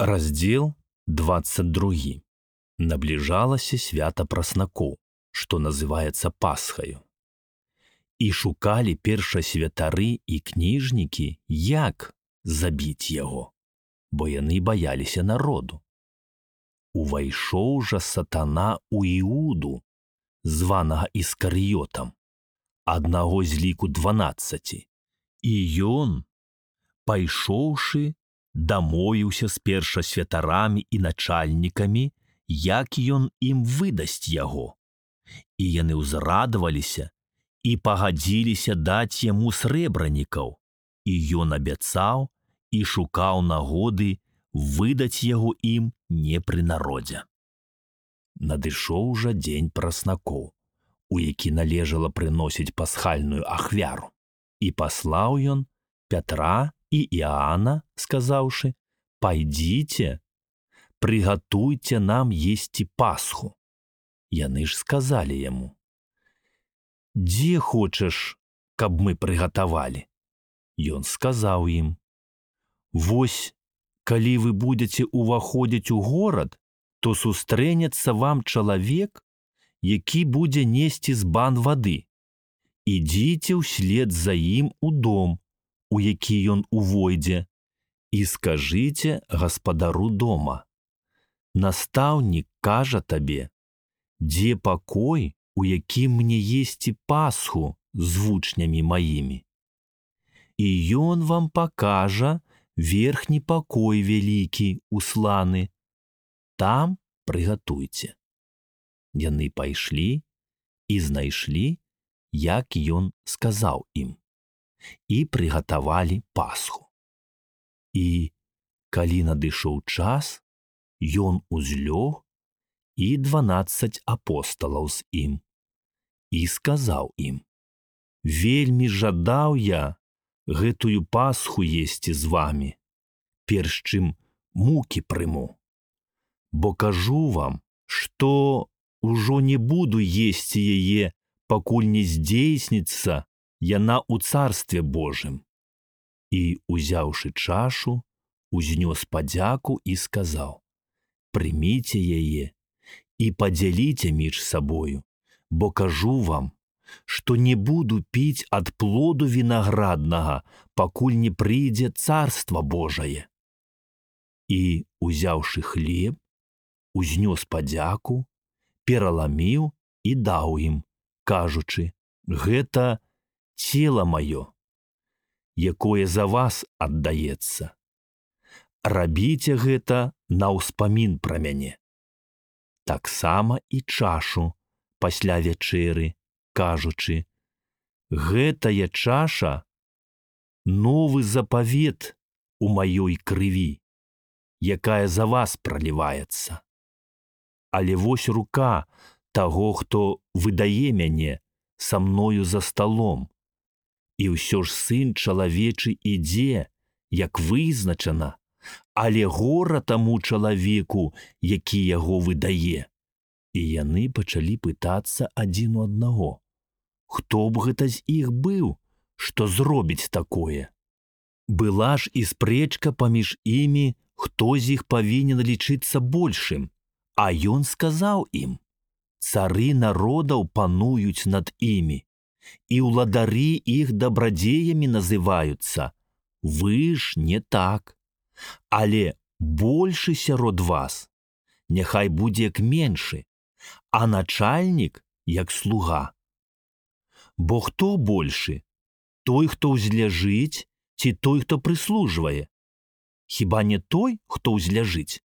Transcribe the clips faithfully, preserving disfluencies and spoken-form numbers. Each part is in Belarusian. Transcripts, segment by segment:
Раздзел двадцать два. Набліжалася свята праснакоў, што называецца Пасхаю. І шукалі першасвятары і кніжнікі, як забіць яго, бо яны баяліся народу. Увайшоў жа сатана у Іуду, званага Іскарыётам, аднаго з ліку дванаццаці, і ён, пайшоўшы, дамовіўся з першасвятарамі і начальнікамі, як ён ім выдасць яго. І яны ўзрадаваліся і пагадзіліся даць яму срэбранікаў, і ён абяцаў і шукаў нагоды выдаць яго ім не пры народзе. Надышоў жа дзень праснакоў, у які належала прыносіць пасхальную ахвяру, і паслаў ён Пятра і Іоанна, сказаўшы: «Пайдзіце, прыгатуйце нам есці Пасху». Яны ж сказалі яму: «Дзе хочаш, каб мы прыгатавалі?» Ён сказаў ім: «Вось, калі вы будзеце ўваходзіць у горад, то сустрэнецца вам чалавек, які будзе несці збан вады. Ідзіце ўслед за ім у дом, у які ён увойдзе, і скажыце гаспадару дома: настаўнік кажа табе, дзе пакой, у якім мне есці Пасху з вучнямі маімі. І ён вам пакажа верхні пакой вялікі, усланы. Там прыгатуйце». Яны пайшлі і знайшлі, як ён сказаў ім, і прыгатавалі Пасху. І, калі надышоў час, ён узлёг і дванаццаць апосталаў з ім, і сказаў ім: «Вельмі жадаў я гэтую Пасху есці з вамі, перш чым мукі прыму. Бо кажу вам, што ўжо не буду есці яе, пакуль не здзейсніцца яна ў Царстве Божым». І, узяўшы чашу, узнёс падзяку і сказаў: «Прыміце яе і падзяліце між сабою, бо кажу вам, што не буду піць ад плоду вінаграднага, пакуль не прыйдзе Царства Божае». І, узяўшы хлеб, узнёс падзяку, пераламіў і даў ім, кажучы: «Гэта цела маё, якое за вас аддаецца. Рабіце гэта на ўспамін пра мяне». Таксама і чашу пасля вячэры, кажучы: «Гэтая чаша — новы запавет у маёй крыві, якая за вас праліваецца. Але вось рука таго, хто выдае мяне, са мною за сталом. І ўсё ж сын чалавечы ідзе, як вызначана, але гора таму чалавеку, які яго выдае». І яны пачалі пытацца адзін у аднаго: хто б гэта з іх быў, што зробіць такое? Была ж і спрэчка паміж імі, хто з іх павінен лічыцца большым. А ён сказаў ім: «Цары народаў пануюць над імі, і ўладары іх дабрадзеямі называюцца. Вы ж не так. Але большы сярод вас няхай будзе як меншы, а начальнік як слуга. Бо хто большы? Той, хто ўзляжыць, ці той, хто прыслужвае? Хіба не той, хто ўзляжыць?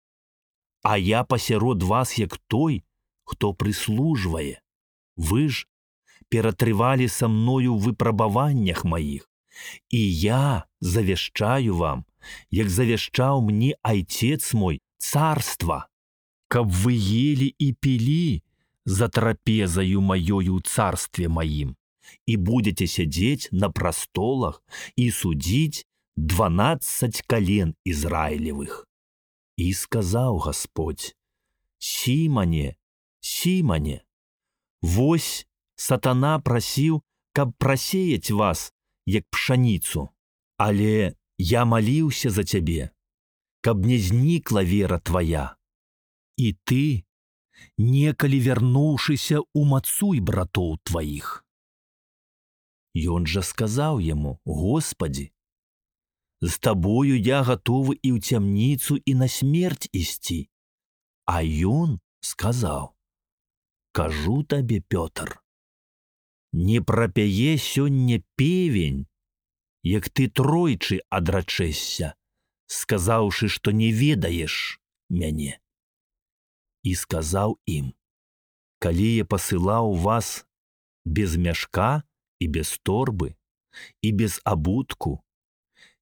А я пасярод вас як той, хто прыслужвае. Вы ж ператрывалі са мною ў выпрабаваннях маіх, і я завяшчаю вам, як завяшчаў мне айцец мой, царства, каб вы ели і пілі за трапезаю маёю ў царстве маім, і будзеце сядзець на прастолах і судзіць дванаццаць кален Ізраілевых». І сказаў Гасподзь: «Сімане, Сімане, вось сатана прасіў, каб прасеяць вас, як пшаніцу, але я маліўся за цябе, каб не знікла вера твая. І ты, некалі вярнуўшыся, умацуй братоў тваіх. Ён жа сказаў яму: Господі, з табою я гатовы і ў цямніцу, і на смерць ісці. А ён сказаў: кажу табе, Пётр, не прапяе сёння певень, як ты тройчы адрачэшся, сказаўшы, што не ведаеш мяне. І сказаў ім: калі я пасылаў вас без мяшка і без торбы, і без абутку,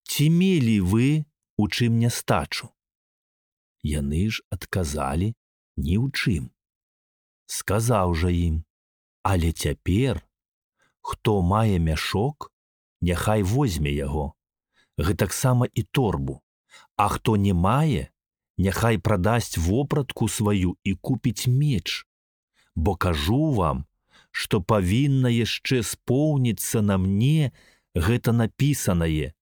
ці мелі вы у чым нястачу? Яны ж адказалі: ні ў чым. Сказаў жа ім: але цяпер, хто мае мяшок, няхай возьме яго, гэтаксама і торбу, а хто не мае, няхай прадасць вопратку сваю і купіць меч, бо кажу вам, што павінна яшчэ споўніцца на мне гэта напісанае,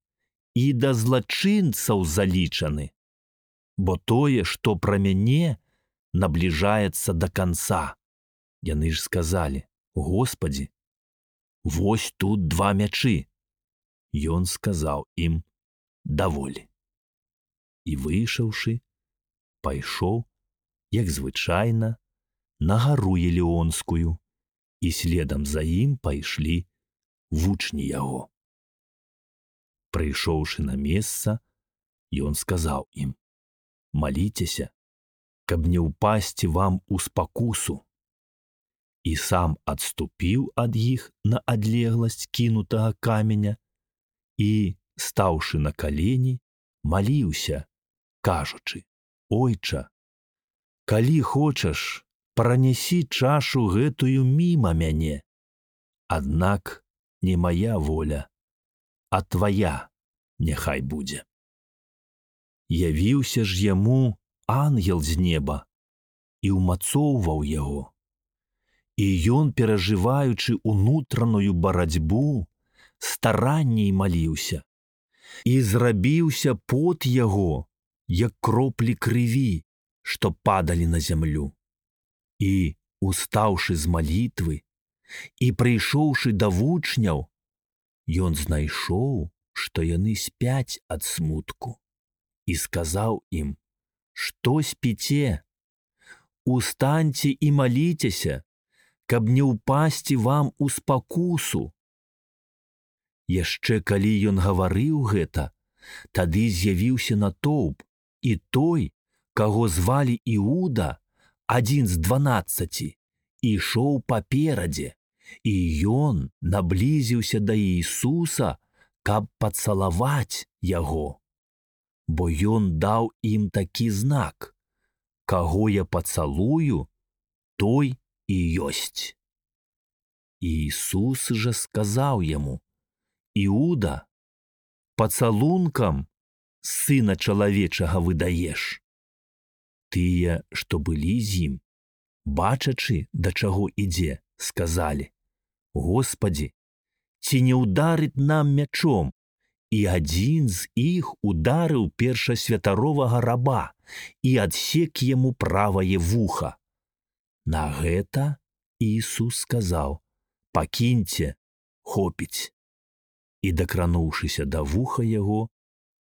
і да злачынцаў залічаны, бо тое, што пра мяне, набліжаецца да канца. Яны ж сказалі: Господі, вось тут два мячы. Ён сказаў ім: даволі. І выйшаўшы, пайшоў, як звычайна, на гару Елеонскую, і следам за ім пайшлі вучні яго. Прыйшоўшы на месца, ён сказаў ім: маліцеся, каб не ўпасці вам у спакусу. І сам адступіў ад іх на адлегласць кінутага каменя і, стаўшы на калені, маліўся, кажучы: Ойча, калі хочаш, пранясі чашу гэтую міма мяне, аднак не мая воля, а твая няхай будзе. Явіўся ж яму ангел з неба і ўмацоўваў яго. І ён, перажываючы унутраную барацьбу, старанней маліўся, і зрабіўся пот яго, як кроплі крыві, што падалі на зямлю. І, устаўшы з малітвы і прыйшоўшы да вучняў, ён знайшоў, што яны спяць ад смутку, і сказаў ім: што спіце? Устаньце і маліцеся, каб не ўпасці вам у спакусу. Яшчэ калі ён гаварыў гэта, тады з'явіўся натоўп, і той, каго звалі Іуда, адзін з дванаццаці, ішоў паперадзе, і ён наблізіўся да Ісуса, каб пацалаваць яго. Бо ён даў ім такі знак: каго я пацалую, той і ёсць. І Ісус жа сказаў яму: Іуда, пацалункам сына чалавечага выдаеш. Тыя, што былі з ім, бачачы, да чаго ідзе, сказалі: Господі, ці не ўдарыць нам мячом? І адзін з іх ударыў першасвятаровага раба і адсек яму правае вуха. На гэта Ісус сказаў: пакіньце, хопіць. І, дакрануўшыся да вуха яго,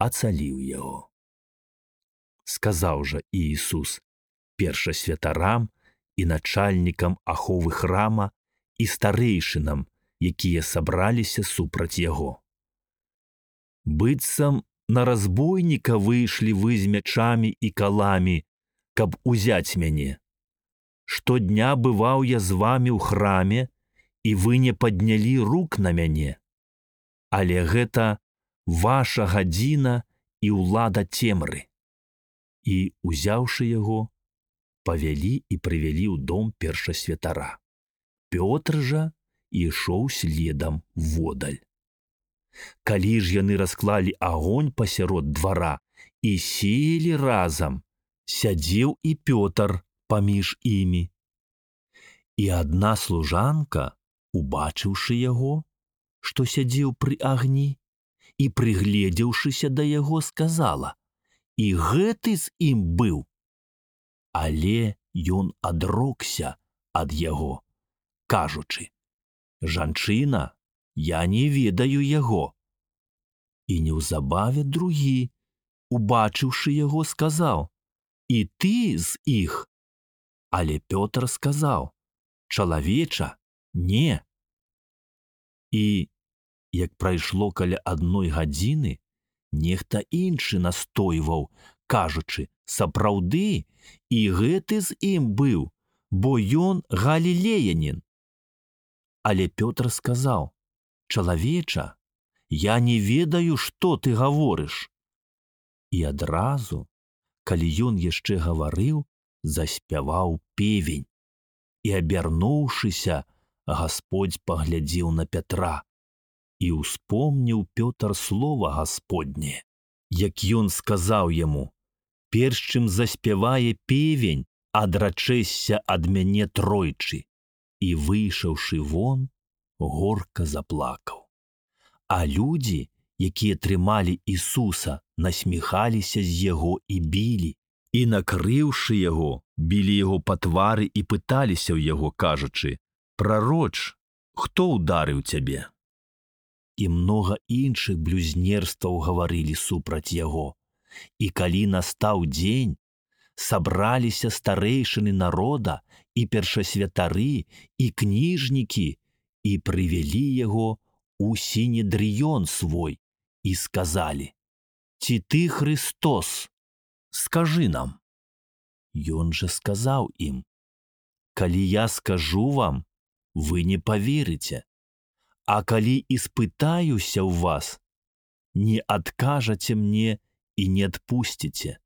ацаліў яго. Сказаў жа Ісус першасвятарам і начальнікам аховы храма і старэйшынам, якія сабраліся супраць яго: быццам на разбойніка выйшлі вы з мячамі і каламі, каб узяць мяне. Штодня бываў я з вамі ў храме, і вы не паднялі рук на мяне. Але гэта ваша гадзіна і ўлада цемры. І, узяўшы яго, павялі і прывялі ў дом першасвятара. Пётр жа ішоў следам водаль. Калі ж яны расклалі агонь пасярод двара і селі разам, сядзеў і Пётр паміж імі. І адна служанка, убачыўшы яго, што сядзеў пры агні, і, прыгледзеўшыся да яго, сказала: і гэты з ім быў. Але ён адрокся ад яго, кажучы: «Жанчына, я не ведаю яго». І неўзабаве другі, убачыўшы яго, сказаў: «І ты з іх?» Але Пётр сказаў: «Чалавеча, не». І, як прайшло каля адной гадзіны, нехта іншы настойваў, кажучы: «Сапраўды, і гэты з ім быў, бо ён галілеянін». Але Пётр сказаў: «Чалавеча, я не ведаю, што ты гаворыш». І адразу, калі ён яшчэ гаварыў, заспяваў певень. І, абярнуўшыся, Гасподзь паглядзеў на Пятра, і ўспомніў Пётр слова Гасподняе, як ён сказаў яму: «Перш чым заспявае певень, адрачэшся ад мяне тройчы». І, выйшаўшы вон, горка заплакаў. А людзі, якія трымалі Ісуса, насміхаліся з яго і білі. І, накрыўшы яго, білі яго па твары і пыталіся ў яго, кажучы: «Прароч, хто ўдарыў цябе?» І многа іншых блюзнерстваў гаварылі супраць яго. І калі настаў дзень, сабраліся старэйшыны народа і першасвятары і кніжнікі і прывялі яго у сінедрыён свой і сказалі: «Ці ты Христос? Скажы нам». Ён жа сказаў ім: «Калі я скажу вам, вы не паверыце, а калі іспытаюся ў вас, не адкажаце мне і не адпусціце.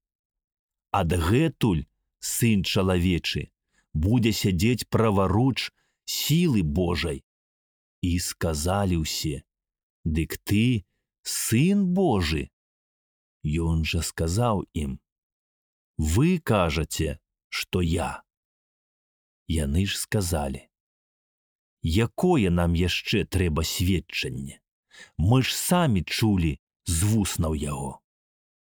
Адгэтуль Сын чалавечы будзе сядзець праваруч сілы Божай». І сказалі ўсе: «Дык ты Сын Божы?» Ён жа сказаў ім: «Вы кажаце, што я». Яны ж сказалі: «Якое нам яшчэ трэба сведчанне? Мы ж самі чулі з вуснаў яго».